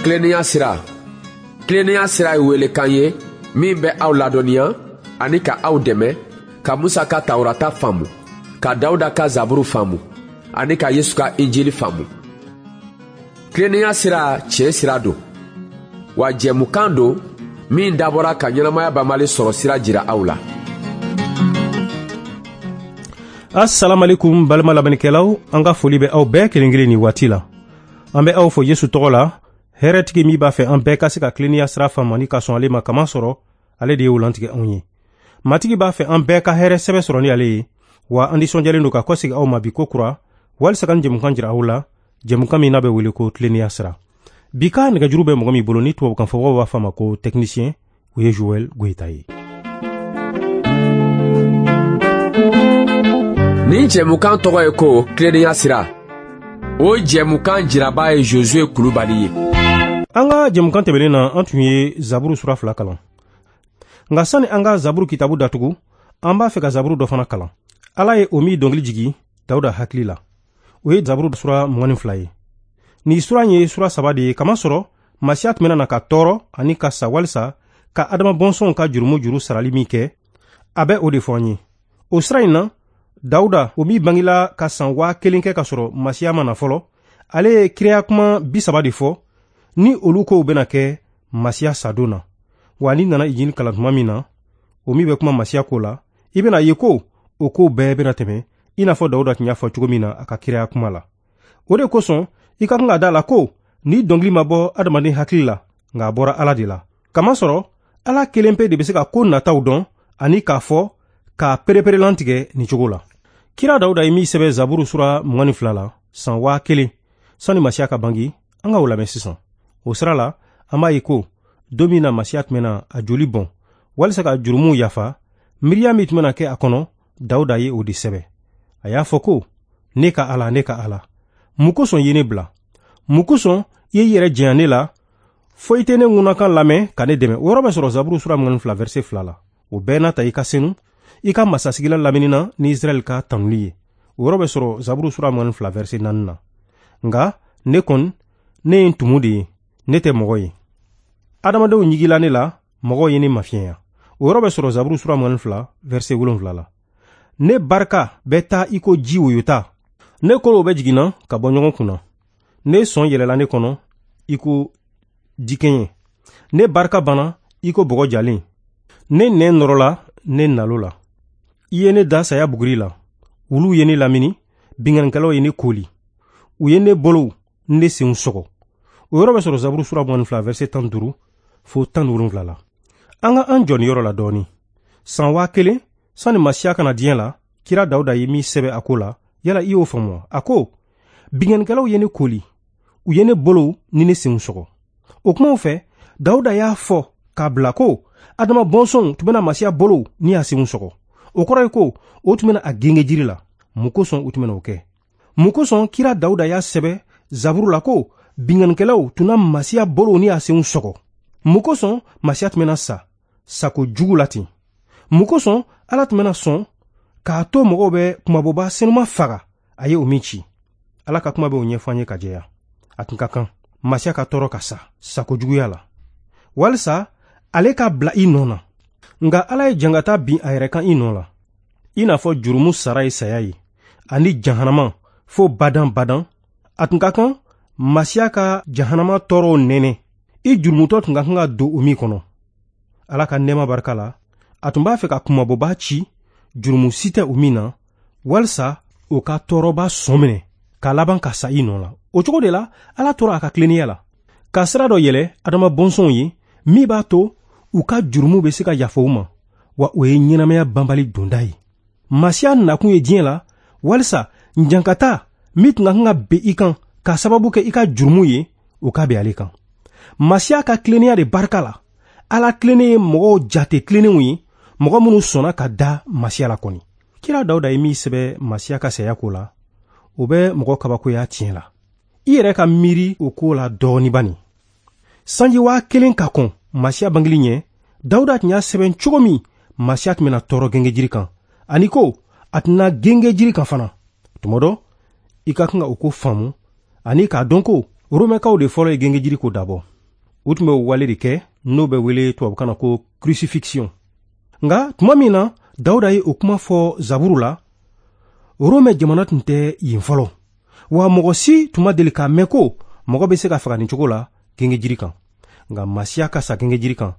Tilennenya sira. Tilennenya sira ye welekan ye min bɛ aw ladɔnniya ani ka aw dɛmɛ ka Musa ka Tawurata faamu, ka Dawuda ka Zaburu faamu ani ka Yesu ka Injili faamu. Tilennenya sira tiɲɛ sira don, wa jɛmukan don min dabɔra ka ɲɛnamaya banbali sɔrɔ sira jira aw la. Assalamu alaikum, balima lamɛnnikɛlaw, an ka foli bɛ aw bɛɛ kelen kelen nin waati la. An bɛ aw fo Yesu tɔgɔ la, hɛrɛtigi min b'a fɛ an bɛɛ ka se ka tilennenya sira faamu ani ka sɔn ale ma, kama sɔrɔ ale de ye o lantigɛ anw ye. Matigi b'a fɛ an bɛɛ ka hɛrɛ sɛbɛ sɔrɔ ni ale ye, wa an nisɔndiyalen don ka kɔsegi aw ma bi ko kura walisa ka nin jɛmukan jira aw la, jɛmukan min n'a bɛ wele ko tilennenya sira. Bi ka nɛgɛjuru bɛ mɔgɔ min bolo, ni tubabukan fɔbagaw b'a fɔ a ma ko technicien, o ye Joël Goyita ye. Nin jɛmukan tɔgɔ ye ko tilennenya sira. O jɛmukan jiraba ye Josue Kulubali ye. An ka jɛmukan tɛmɛnen na, an tun ye Zaburu sura 2 kalan. Nka sani an ka Zaburu kitabu datugu, an b'a fɛ ka Zaburu dɔ fana kalan. Ala ye o min dɔnkili jigi Dawuda hakili la, o ye Zaburu sura 22 ye. Nin sura in ye sura 3 de ye, kamasɔrɔ Masiya tun bɛna na ka tɔɔrɔ ani ka sa walisa ka Adama bɔnsɔnw ka jurumu juru sarali min kɛ, a bɛ o de fɔ an ye. O sira in na, Dawuda, o min bangela ka san 1000 kɛ ka sɔrɔ Masiya ma na fɔlɔ, ale ye kiraya kuma 30 de fɔ ni olu kow bɛna kɛ Masiya sadon na. Wa n'i nana Injili kalan tuma min na, o min bɛ kuma Masiya ko la, i bɛna ye ko o kow bɛɛ bɛna tɛmɛ i n'a fɔ Dawuda tun y'a fɔ cogo min na a ka kiraya kuma la. O de kosɔn i ka kan ka da la ko ni dɔnkili ma bɔ adamaden hakili la, nka a bɔra Ala de la. Kamasɔrɔ Ala kelen pe de bɛ se ka ko nataw dɔn ani k'a fɔ k'a pereperelantigɛ nin cogo la. Kira Dawuda ye min sɛbɛn Zaburu sura 22 la san 1000 sani Masiya ka bange, an ka o lamɛn sisan. O sira la, an b'a ye ko don min na Masiya tun bɛna a joli bɔn walisa ka jurumuw yafa, miiriya min tun bɛna kɛ a kɔnɔ, Dawuda ye o de sɛbɛn. A y'a fɔ ko: ne ka Ala, ne ka Ala, mun kosɔn i ye ne bila? Mun kosɔn i ye i yɛrɛ janya ne la fo i tɛ ne ŋunakan lamɛn ka ne dɛmɛ? O yɔrɔ bɛ sɔrɔ Zaburu sura 22 verset 2 la. O bɛɛ n'a ta, i ka senu, i ka masasigilan lamini na ni Israɛl ka tanuli ye. O yɔrɔ bɛ sɔrɔ Zaburu sura 22 verset 4 na. Nka ne kɔni, ne ye ntumu de ye, ne tɛ mɔgɔ ye. Adamadenw ɲigila ne la, mɔgɔw ye ne mafiɲɛya. O yɔrɔ bɛ sɔrɔ Zaburu sura 22 verset 7 la. Ne barika bɛ taa i ko ji woyota. Ne kolow bɛ jiginna ka bɔ ɲɔgɔn kunna. Ne sɔn yɛlɛla ne kɔnɔ i ko dikɛɲɛ. Ne barika banna i ko bɔgɔ jalen. Ne nɛn nɔrɔla ne nalo la. I ye ne da saya buguri la. Wuluw ye ne lamini, binkannikɛlaw ye ne koli. U ye ne bolow ni ne senw sɔgɔ. O yɔrɔ bɛ sɔrɔ Zaburu sura 22 verset 15 fo 17 la. An ka an jɔ nin yɔrɔ la dɔɔni. San 1000 sani Masiya ka na diɲɛ la, kira Dawuda ye min sɛbɛn a ko la, yala i y'o faamu wa? A ko: binkannikɛlaw ye ne koli, u ye ne bolow ni ne senw sɔgɔ. O kumaw fɛ, Dawuda y'a fɔ k'a bila ko Adama bɔnsɔnw tun bɛna Masiya bolow ni a senw sɔgɔ. O kɔrɔ ye ko o tun bɛna a genge jiri la. Mun kosɔn u tun bɛna o kɛ? Mun kosɔn kira Dawuda y'a sɛbɛn Zaburu la ko binkannikɛlaw tun na Masiya bolow ni a senw sɔgɔ? Mun kosɔn Masiya tun bɛna sa sako jugu la ten? Mun kosɔn Ala tun bɛna sɔn k'a to mɔgɔw bɛ kumabɔba senuma faga a ye o min ci? Ala ka kuma bɛ o ɲɛfɔ an ye ka jɛya. A tun ka kan Masiya ka tɔɔrɔ ka sa sako juguya la, walisa ale ka bila i nɔ na. Nka Ala ye jangata bin a yɛrɛ kan i nɔ la, i n'a fɔ jurumu sara ye saya ye ani jahanama fo badan badan. A tun ka kan Masiya ka jahanama tɔɔrɔw nɛnɛ, i jurumutɔ tun ka kan ka don o min kɔnɔ. Ala ka nɛɛma barika la, a tun b'a fɛ ka kumabɔba ci jurumu si tɛ o min na, walisa o ka tɔɔrɔba sɔn minɛ k'a laban ka sa i nɔ la. O cogo de la, Ala tora a ka tilennenya la ka sira dɔ yɛlɛ Adama bɔnsɔnw ye min b'a to u ka jurumu bɛ se ka yafa u ma, wa o ye ɲɛnamaya banbali donda ye. Masiya nakun ye diɲɛ la walisa jankata min tun ka kan ka bin i kan k'a sababu kɛ i ka jurumu ye, o ka bin ale kan. Masiya ka tilennenya de barika la, Ala tilennen ye mɔgɔw jate tilennenw ye, mɔgɔ minnu sɔnna ka da Masiya la kɔni. Kira Dawuda ye min sɛbɛn Masiya ka saya ko la, o bɛ mɔgɔ kabakoya tiɲɛ la. I yɛrɛ ka miiri o ko la dɔɔni bani. Sanji 1000 ka kɔn Masiya bangeli ɲɛ, Dawuda tun y'a sɛbɛn cogo min Masiya tun bɛna tɔɔrɔ gengejiri kan, ani ko a tɛna gengejiri kan fana. Tuma dɔ, i ka kan ka o ko faamu ani k'a dɔn ko Romɛkaw de fɔlɔ ye gengejiri ko dabɔ. U tun bɛ o wale de kɛ n'o bɛ wele tubabukan na ko crucifixion. Nka tuma min na Dawuda ye o kuma fɔ Zaburu la, Rome jamana tun tɛ yen fɔlɔ. Wa mɔgɔ si tun ma deli k'a mɛn ko mɔgɔ bɛ se ka faga nin cogo la gengejiri kan. Nka Masiya ka sa gengejiri kan,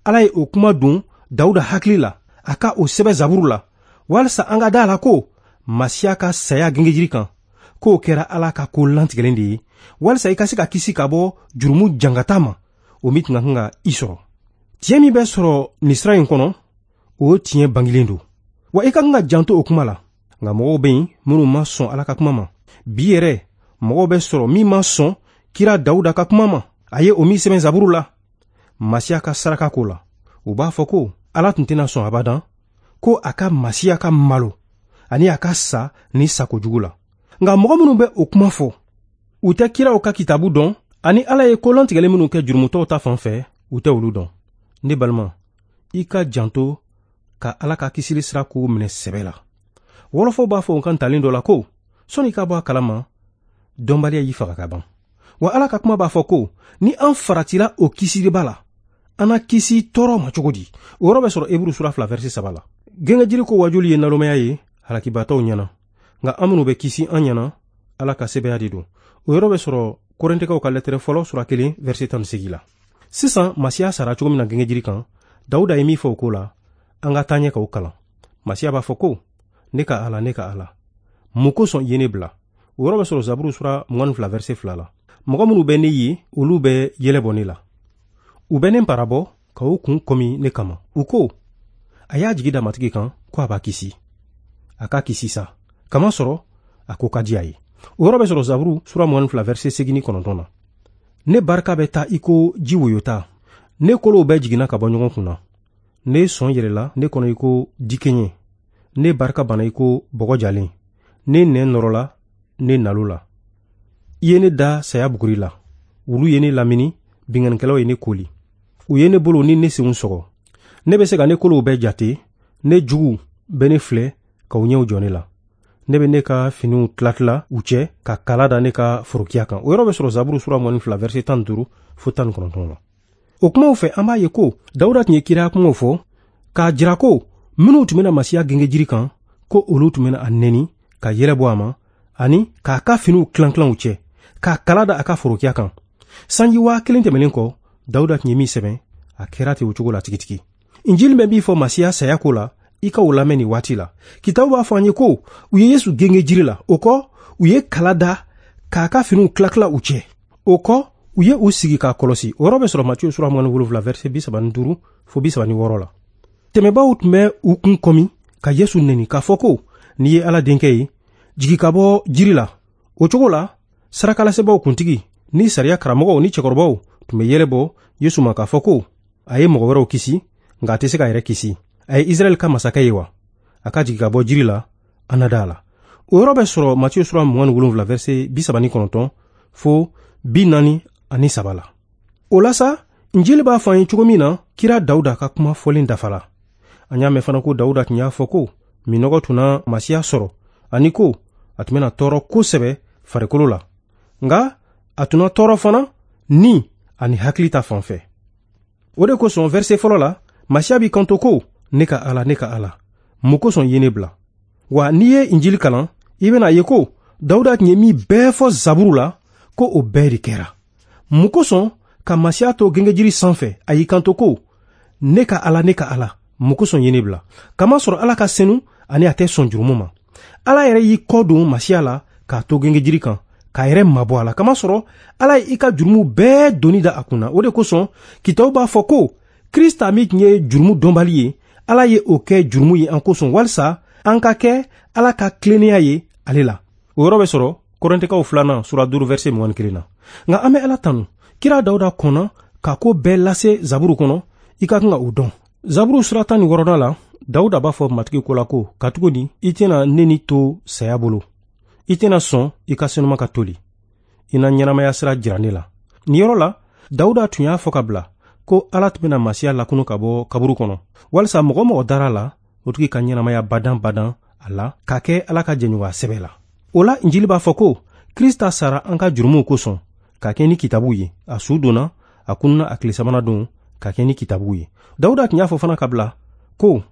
Ala ye o kuma don Dawuda hakili la, a ka o sɛbɛn Zaburu la, walisa an ka da a la ko Masiya ka saya gengejiri kan, k'o kɛra Ala ka ko lantigɛlen de ye, walisa i ka se ka kisi ka bɔ jurumu jangata ma, o min tun ka kan ka i sɔrɔ. Tiɲɛ min bɛ sɔrɔ nin sira in kɔnɔ, o tiɲɛ bangilen don. Wa i ka kan ka janto o kuma la. Nka mɔgɔw bɛ yen minnu ma sɔn Ala ka kuma ma. Bi yɛrɛ, mɔgɔw bɛ sɔrɔ min ma sɔn kira Dawuda ka kuma ma. A ye o min sɛbɛn Zaburu la, Masiya ka saraka ko la. U b'a fɔ ko Ala tun tɛna sɔn abadan ko a ka Masiya ka malo ani a ka sa ni sakojugu la. Nka mɔgɔ minnu bɛ o kuma fɔ, u tɛ kiraw ka kitabu dɔn ani Ala ye ko lantigɛlen minnu kɛ jurumutɔw ta fan fɛ, u tɛ olu dɔn. Ne balima, i ka janto ka Ala ka kisili sira kow minɛ sɛbɛ la. Wɔlɔfɔw b'a fɔ u kan talen dɔ la ko sɔnni i ka bɔ a kalama, dɔnbaliya y'i faga ka ban. Wa Ala ka kuma b'a fɔ ko ni an faratila o kisiliba la, an na kisi tɔɔrɔ ma cogo di? O yɔrɔ bɛ sɔrɔ Eburu sura 2 verset 3 la. Gengejiri ko wajuli ye nalomaya ye halakibatɔw ɲɛna, nka an minnu bɛ kisi an ɲɛna, Ala ka sɛbɛya de don. O yɔrɔ bɛ sɔrɔ Korintikaw ka lɛtɛrɛ fɔlɔ sura 1 verset 18 la. Sisan Masiya sara cogo min na gengejiri kan, Dawuda ye min fɔ o ko la, an ka taa ɲɛ k'o kalan. Masiya b'a fɔ ko ne ka Ala, ne ka Ala, mun kosɔn i ye ne bila? O yɔrɔ bɛ sɔrɔ Zaburu sura 22 verset 2 la. Mɔgɔ minnu bɛ ne ye, olu bɛ yɛlɛ bɔ ne la. U bɛ ne parabɔ ka u kun kɔmi ne kama. U ko, a y'a jigi da Matigi kan ko a b'a kisi. A k'a kisi sa, kamasɔrɔ a ko ka di a ye. O yɔrɔ bɛ sɔrɔ Zaburu sura 22 verset 89 na. Ne barika bɛ taa i ko ji woyota. Ne kolow bɛɛ jiginna ka bɔ ɲɔgɔn kun na. Ne sɔn yɛlɛla ne kɔnɔ i ko dikenye. Ne barika banna i ko bɔgɔ jalen. Ne nɛn nɔrɔla ne nalo la. I ye ne da saya buguri la. Wulu ye ne lamini, binkannikɛlaw ye ne koli. U ye ne bolo ni ne senw sɔgɔ. Ne bɛ se ka ne kolow bɛɛ jate. Ne jugu bɛ ne filɛ ka u ɲɛw jɔ ne la. Ne bɛ ne ka finiw tilatila u cɛ ka kala da ne ka forokiya kan. O yɔrɔ bɛ sɔrɔ Zaburu sura 22 verset 15 fo 19 la. O kumaw fɛ, an b'a ye ko Dawuda tun ye kiraya kumaw fɔ k'a jira ko minnu tun bɛna Masiya gengejiri kan, ko olu tun bɛna a nɛni ka yɛlɛ bɔ a ma ani k'a ka finiw tilan-tilan u cɛ, k'a kala da a ka forokiya kan. Sanji 1000 tɛmɛnen kɔ, Dawuda tun ye min sɛbɛn, a kɛra ten o cogo la tigitigi. Injili bɛ min fɔ Masiya saya ko la, i ka o lamɛn nin waati la. Kitabu b'a fɔ an ye ko u ye Yesu genge jiri la, o kɔ u ye kala da k'a ka finiw tila-tila u cɛ. O kɔ u ye u sigi k'a kɔlɔsi. O yɔrɔ bɛ sɔrɔ Matiyu sura 27 verset 35 fo 36 la. Tɛmɛbaaw tun bɛ u kun kɔmi ka Yesu nɛni k'a fɔ ko n'i ye Ala denkɛ ye, jigi ka bɔ jiri la. O cogo la, sarakalasebaaw kuntigi ni sariya karamɔgɔw ni cɛkɔrɔbaw tun bɛ yɛlɛ bɔ Yesu ma k'a fɔ ko a ye mɔgɔ wɛrɛw kisi, nka a tɛ se k'a yɛrɛ kisi. A ye Israɛl ka masakɛ ye wa? A ka jigi ka bɔ jiri la, an na da a la. O yɔrɔ bɛ sɔrɔ Matiyu sura 27 verset 39 fo 43 la. O la sa, Injili b'a fɔ an ye cogo min na, kira Dawuda ka kuma fɔlen dafala. An y'a mɛn fana ko Dawuda tun y'a fɔ ko minɔgɔ tun na Masiya sɔrɔ, ani ko a tun bɛna tɔɔrɔ kosɛbɛ farikolo la. Nka a tun na tɔɔrɔ fana ni ani hakili ta fan fɛ. O de kosɔn verset fɔlɔ la, Masiya b'i kanto ko ne ka Ala, ne ka Ala, mun kosɔn i ye ne bila? Wa n'i ye Injili kalan, i bɛna ye ko Dawuda tun ye min bɛɛ fɔ Zaburu la, ko o bɛɛ de kɛra. Mun kosɔn ka Masiya to gengejiri sanfɛ, a y'i kanto ko ne ka Ala, ne ka Ala, mun kosɔn i ye ne bila? Kamasɔrɔ Ala ka senu ani a tɛ sɔn jurumu ma. Ala yɛrɛ y'i kɔ don Masiya la k'a to gengejiri kan, k'a yɛrɛ mabɔ a la. Kamasɔrɔ Ala ye i ka jurumu bɛɛ doni da a kunna. O de kosɔn kitabu b'a fɔ ko Krista min tun ye jurumu dɔnbali ye, Ala ye o kɛ jurumu ye an kosɔn, walisa an ka kɛ Ala ka tilennenya ye ale la. O yɔrɔ bɛ sɔrɔ Korintikaw 2 sura 5 verset 21 na. Nka an bɛ Ala tanu. Kira Dawuda kɔnna ka ko bɛɛ lase Zaburu kɔnɔ, i ka kan ka o dɔn. Zaburu sura 16 la, Dawuda b'a fɔ Matigi ko la ko, katuguni i tɛna ne ni to saya bolo. I tɛna sɔn i ka senuma ka toli. I na ɲɛnamaya sira jira ne la. Nin yɔrɔ la, Dawuda tun y'a fɔ ka bila ko Ala tun bɛna Masiya lakunu ka bɔ kaburu kɔnɔ, walisa mɔgɔ mɔgɔ dara la, o tigi ka ɲɛnamaya badan badan a la, ka kɛ Ala ka jɛɲɔgɔnya sɛbɛ la. O la, Injili b'a fɔ ko Krista sara an ka jurumuw kosɔn, ka kɛ ni kitabu ye. A su donna, A kununa a tile sabanan don ka kɛ ni kitabuw ye. Dawuda tun y'a fɔ fana ka bila ko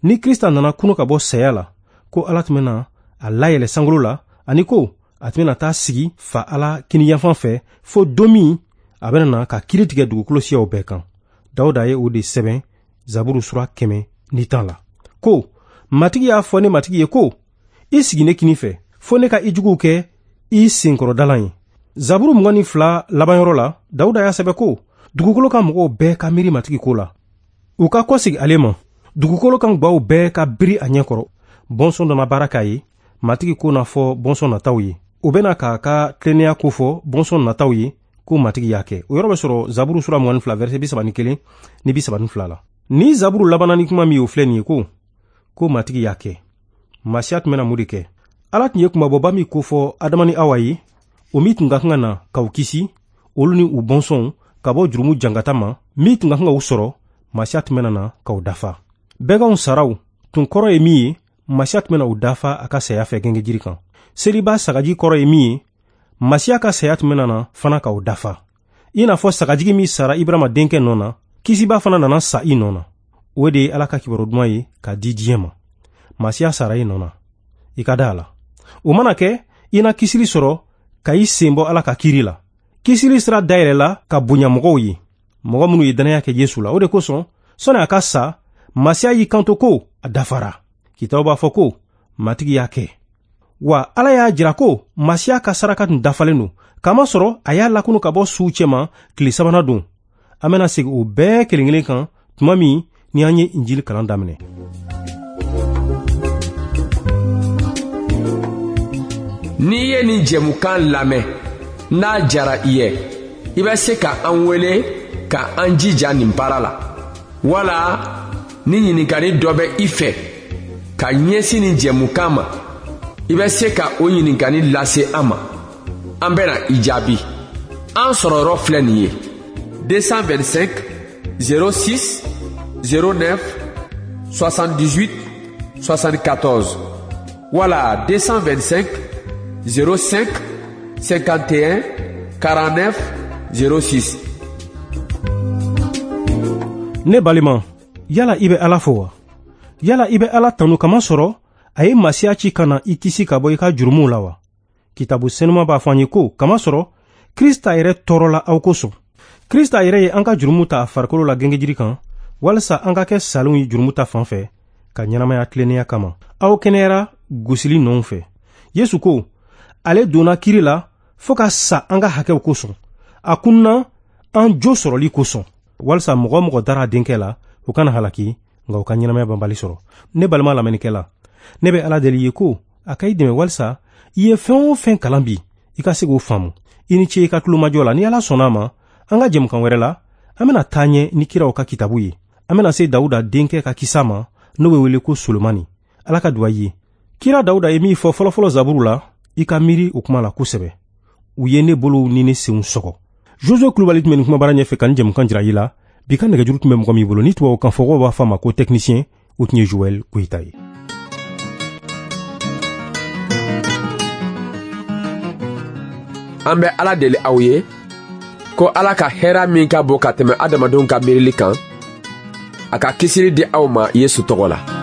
ni Krista nana kunu ka bɔ saya la, ko Ala tun bɛna a layɛlɛ sankolo la, ani ko a tun bɛna taa sigi fa Ala kiniyanfan fɛ fo don min a bɛna na ka kiri tigɛ dugukolo siyaw bɛɛ kan. Dawuda ye o de sɛbɛn Zaburu sura 110 la ko Matigi y'a fɔ ne Matigi ye ko i sigi ne kinin fɛ fo ne ka i juguw kɛ i senkɔrɔdalan ye. Zaburu 22 labanyɔrɔ la, Dawuda y'a sɛbɛn ko dugukolo kan mɔgɔw bɛɛ ka miiri Matigi ko la, u ka kɔsegi ale ma, dugukolo kan gwaw bɛɛ ka biri a ɲɛkɔrɔ. Bɔnsɔn dɔ na baara k'a ye, Matigi ko na fɔ bɔnsɔn nataw ye, o bɛna k'a ka tilennenya ko fɔ bɔnsɔn nataw ye ko Matigi y'a kɛ. O yɔrɔ bɛ sɔrɔ Zaburu sura 22 verset 31 ni 32 la. Ni Zaburu labanna ni kuma min ye, o filɛ nin ye ko Matigi y'a kɛ. Masiya tun bɛna mun de kɛ? Ala tun ye kunmabɔba min kofɔ Adama ni Awa ye, o min tun ka kan ka na k'u kisi, olu ni u bɔnsɔnw ka bɔ jurumu jangata ma, min tun ka kan ka u sɔrɔ, Masiya tun bɛna na k'u dafa. Bɛganw saraw tun kɔrɔ ye min ye, Masiya tun bɛna u dafa a ka saya fɛ gengejiri kan. Seliba sagaji kɔrɔ ye min ye, Masiya ka saya tun bɛna na fana k'u dafa. I n'a fɔ sagajigi min sara Ibrahima denkɛ nɔ na, kisiba fana nana sa i nɔ na. O de ye Ala ka kibaru duman ye k'a di diɲɛ ma. Masiya sara i nɔ na, i ka da a la. O mana kɛ, i na kisili sɔrɔ ka i sen bɔ Ala ka kiri la. Kisili sira dayɛlɛla ka bonya mɔgɔw ye, mɔgɔ minnu ye dannaya kɛ Yesu la. O de kosɔn, sɔnni a ka sa, Masiya y'i kanto ko a dafara. Kitabu b'a fɔ ko Matigi y'a kɛ. Wa Ala y'a jira ko Masiya ka saraka tun dafalen don, kamasɔrɔ a y'a lakunu ka bɔ suw cɛma tile sabanan don. An bɛna segin o bɛɛ kelen kelen kan tuma min ni an ye Injili kalan daminɛ. N'i ye nin jɛmukan lamɛn, n'a jara i ye, i bɛ se ka an wele ka an jija nin baara la. Wala ni ɲininkali dɔ bɛ i fɛ ka ɲɛsin nin jɛmukan ma, i bɛ se ka o ɲininkali lase an ma. An bɛna i jaabi. An sɔrɔyɔrɔ filɛ nin ye: 225 06 09 78 74 wala 225 05 51 49 06. Ne balima, yala i bɛ Ala fo wa? Yala i bɛ Ala tanu kamasɔrɔ a ye Masiya ci ka na i kisi ka bɔ i ka jurumuw la wa? Kitabu senuma b'a fɔ an ye ko kamasɔrɔ Krista yɛrɛ tɔɔrɔla aw kosɔn. Krista yɛrɛ ye an ka jurumu ta a farikolo la gengejiri kan, walasa an ka kɛ salenw ye jurumu ta fan fɛ, ka ɲɛnamaya tilennenya kama. Aw kɛnɛyara gosili nɔw fɛ. Yesu ko ale donna kiri la fo ka sa an ka hakɛw kosɔn. A kunna an jo sɔrɔli kosɔn, walasa mɔgɔ mɔgɔ dara a denkɛ la, o kana halaki, nka o ka ɲɛnamaya banbali sɔrɔ. Ne balima lamɛnnikɛla, ne bɛ Ala deli ye ko a ka i dɛmɛ walasa i ye fɛn o fɛn kalan bi, i ka se k'o faamu. I ni ce i ka tulomajɔ la. Ni Ala sɔnna a ma, an ka jɛmukan wɛrɛ la, an bɛna taa ɲɛ ni kiraw ka kitabu ye. An bɛna se Dawuda denkɛ ka kisa ma, n'o bɛ wele ko Solomani. Ala ka duwa ye. Kira Dawuda ye min fɔ fɔlɔfɔlɔ Zaburu la, i ka miiri o kuma la kosɛbɛ. U ye ne bolow ni ne senw sɔgɔ. Josué Kulubali tun bɛ nin kumabara ɲɛfɛ ka nin jɛmukan jira i la. Bi ka nɛgɛjuru tun bɛ mɔgɔ min bolo, ni tubabukan fɔkɔw b'a fɔ a ma ko technicien, o tun ye Joël Koyita ye. An bɛ Ala deli aw ye ko Ala ka hɛrɛ min ka bon ka tɛmɛ adamadenw ka miirili kan, a ka kisili di aw ma Yesu tɔgɔ la.